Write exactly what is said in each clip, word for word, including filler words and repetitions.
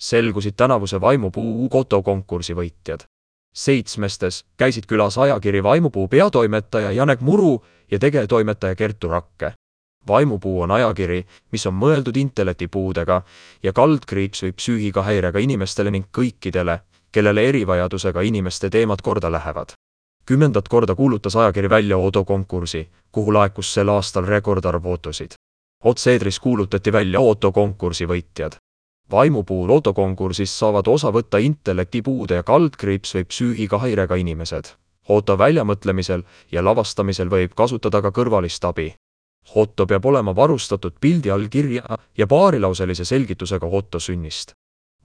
Selgusid tänavuse Vaimupuu fotokonkursi võitjad. Seitsmestes käisid külas ajakiri Vaimupuu peatoimetaja Janek Muru ja tegetoimetaja Kertu Rakke. Vaimupuu on ajakiri, mis on mõeldud intellektipuudega ja kaldkriips või psüühika häirega inimestele ning kõikidele, kellele erivajadusega inimeste teemad korda lähevad. Kümnendat korda kuulutas ajakiri välja fotokonkursi, kuhu laekus sel aastal rekordarv footosid. Otse-eetris kuulutati välja fotokonkursi võitjad. Vaimupuu fotokonkursis saavad osa võtta intellektipuude ja kaldkriips või psüühika häirega inimesed. Foto väljamõtlemisel ja lavastamisel võib kasutada ka kõrvalist abi. Foto peab olema varustatud pildi all kirja ja paarilauselise selgitusega foto sünnist.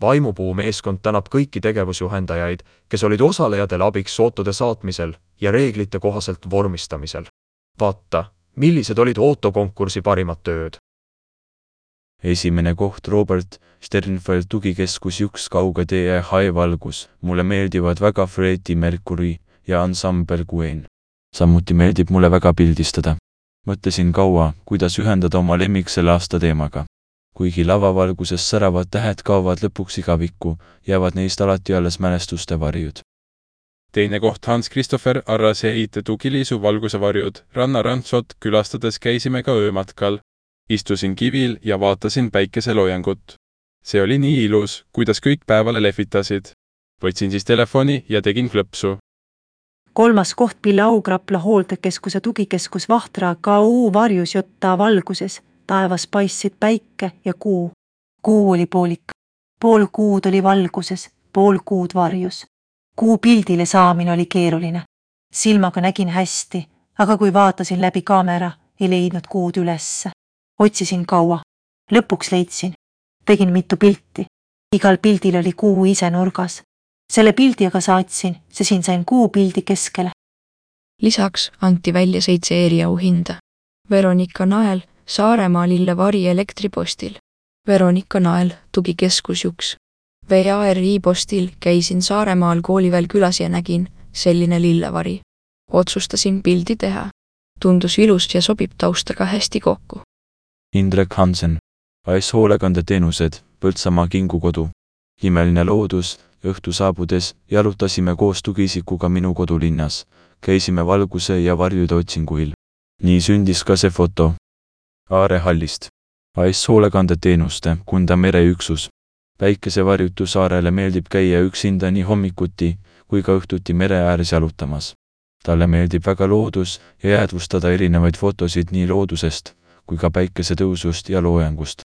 Vaimupuu meeskond tänab kõiki tegevusjuhendajaid, kes olid osalejatele abiks fotode saatmisel ja reeglite kohaselt vormistamisel. Vaata, millised olid fotokonkursi parimad tööd. Esimene koht Robert Sternfeld tugikeskus üks kauge tee hai valgus. Mulle meeldivad väga Freddie Mercury ja Ensemble Gwen. Samuti meeldib mulle väga pildistada. Mõtlesin kaua, kuidas ühendada oma lemmik selle aasta teemaga. Kuigi lavavalguses säravad tähed kaovad lõpuks igavikku, jäävad neist alati alles mälestuste varjud. Teine koht Hans Christopher Arrase eite tugiliisu valguse varjud. Rannarantsot külastades käisime ka öömatkal. Istusin kivil ja vaatasin päikeseloojangut. See oli nii ilus, kuidas kõik päevale lehvitasid. Võtsin siis telefoni ja tegin klõpsu. Kolmas koht Pille Augrapla hooltekeskuse tugikeskus Vahtra K U varjus jotta valguses. Taevas paistsid päike ja kuu. Kuu oli poolik. Pool kuud oli valguses, pool kuud varjus. Kuu pildile saamine oli keeruline. Silmaga nägin hästi, aga kui vaatasin läbi kaamera, ei leidnud kuud ülesse. Otsisin kaua. Lõpuks leidsin. Tegin mitu pilti. Igal pildil oli kuu ise nurgas. Selle pildi aga saatsin, see siin sain kuu pildi keskele. Lisaks anti välja seitse eriauhinda. Veronika Nael, Saaremaa Lillevari elektripostil. Veronika Nael, tugikeskus Juks. V A R I postil käisin Saaremaal kooliväel külas ja nägin selline lillevari. Otsustasin pildi teha. Tundus ilus ja sobib taustaga hästi kokku. Indrek Hansen, A S hoolekandeteenused, Põltsamaa kingukodu. Imeline loodus, õhtu saabudes jalutasime koos tugiisikuga minu kodulinnas. Käisime valguse ja varjude otsinguil. Nii sündis ka see foto. Aare hallist. A S hoolekandeteenuste Kunda mereüksus. Päikesevarjutu saarele meeldib käia üksinda nii hommikuti kui ka õhtuti mere ääres jalutamas. Talle meeldib väga loodus ja jäädvustada erinevaid fotosid nii loodusest kui ka päikesetõusust ja loojangust.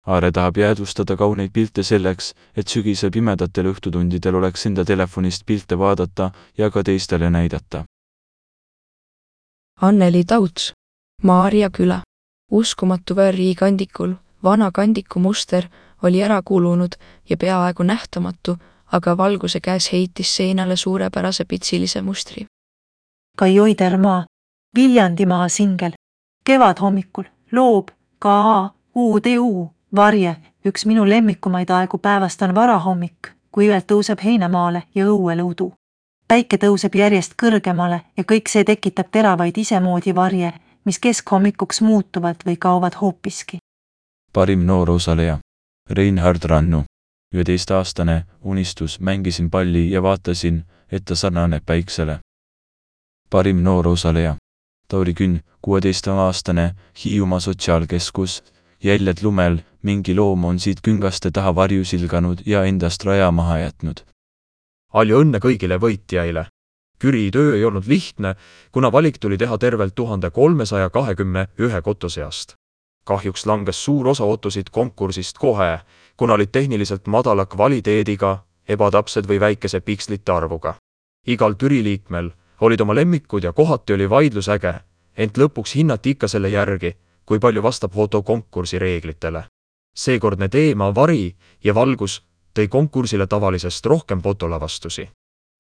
Aare tahab jäädvustada kauneid pilte selleks, et sügisel pimedatel õhtutundidel oleks enda telefonist pilte vaadata ja ka teistele näidata. Anneli Tauts, Maarja küla. Uskumatu V R I kandikul, vana kandiku muster oli ära kulunud ja peaaegu nähtamatu, aga valguse käes heitis seinale suurepärase pitsilise mustri. Kai Oidermaa, Viljandimaa singel. Kevad hommikul, loob, K A U D U, varje, üks minu lemmikumaid aegu päevast on varahommik, kui üelt tõuseb heinamaale ja õuele udu. Päike tõuseb järjest kõrgemale ja kõik see tekitab teravaid isemoodi varje, mis keskhommikuks muutuvad või kaovad hoopiski. Parim noor osaleja. Reinhard Rannu. üheteistaastane unistus, mängisin palli ja vaatasin, et ta sarnaneb päiksele. Parim noor osaleja. Tauri Künn, kuueteistaastane, Hiiumaa sotsiaalkeskus. Jäljed lumel, mingi loom on siit küngaste taha varju silganud ja endast raja maha jätnud. Palju õnne kõigile võitjaile. Küri töö ei olnud lihtne, kuna valik tuli teha tervelt tuhande kolmesaja kahekümne ühe koto seast. Kahjuks langes suur osa otosid konkursist kohe, kuna olid tehniliselt madala kvaliteediga, ebatäpsed või väikese pikslite arvuga. Igal türiliikmel olid oma lemmikud ja kohati oli vaidlus äge, ent lõpuks hinnati ikka selle järgi, kui palju vastab fotokonkursi reeglitele. Seekordne teema vari ja valgus tõi konkursile tavalisest rohkem fotolavastusi.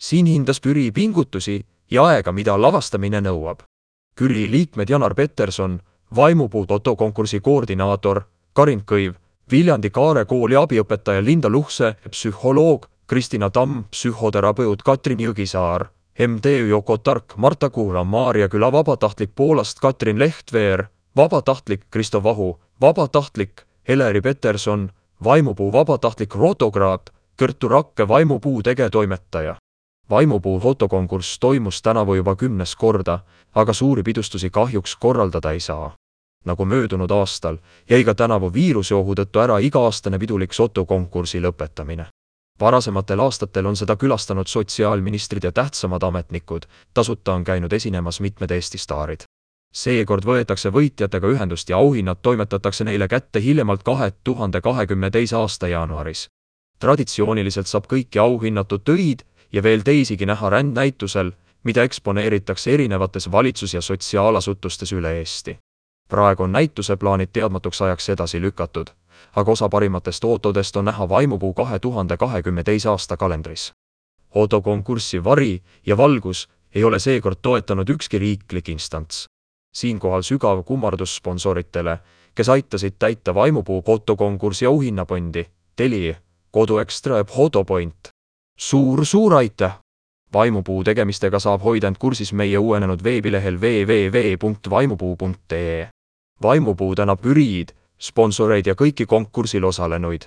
Siin hindas Küri pingutusi ja aega, mida lavastamine nõuab. Küri liikmed Janar Peterson, Vaimupuu fotokonkursi koordinaator Karin Kõiv, Viljandi Kaare kooli abiõpetaja Linda Luhse, psühholoog Kristina Tamm, psühhoterapeut Katrin Jõgisaar, M T Ü Joko Tark, Marta Kuula, Maarja küla vabatahtlik Poolast Katrin Lehtveer, vabatahtlik Kristo Vahu, vabatahtlik Heleri Peterson, Vaimupuu vabatahtlik fotograaf, Kertu Rakke Vaimupuu tegetoimetaja. Vaimupuu fotokonkurss toimus tänavu juba kümnes korda, aga suuri pidustusi kahjuks korraldada ei saa. Nagu möödunud aastal, jäi ka tänavu viiruseohu tõttu ära iga-aastane pidulik fotokonkursi lõpetamine. Varasematel aastatel on seda külastanud sotsiaalministrid ja tähtsamad ametnikud, tasuta on käinud esinemas mitmed Eesti staarid. Seekord võetakse võitjatega ühendust ja auhinnad toimetatakse neile kätte hiljemalt kahe tuhande kahekümne teise aasta jaanuaris. Traditsiooniliselt saab kõiki auhinnatud töid ja veel teisigi näha rändnäitusel, mida eksponeeritakse erinevates valitsus- ja sotsiaalasutustes üle Eesti. Praegu on näituse plaanid teadmatuks ajaks edasi lükatud, aga osa parimatest ootodest on näha Vaimupuu kahe tuhande kahekümne teise aasta kalendris. Fotokonkurssi Vari ja Valgus ei ole seekord toetanud ükski riiklik instants. Siinkohal sügav kummardus sponsoritele, kes aitasid täita Vaimupuu fotokonkursi auhinnapondi, Telia, Kodu Ekstra ja Fotopoint. Suur-suur aitäh! Vaimupuu tegemistega saab hoida end kursis meie uuenenud veebilehel double-u double-u double-u punkt vaimupuu punkt ee. Vaimupuu tänab üriid, sponsoreid ja kõiki konkursil osalenuid.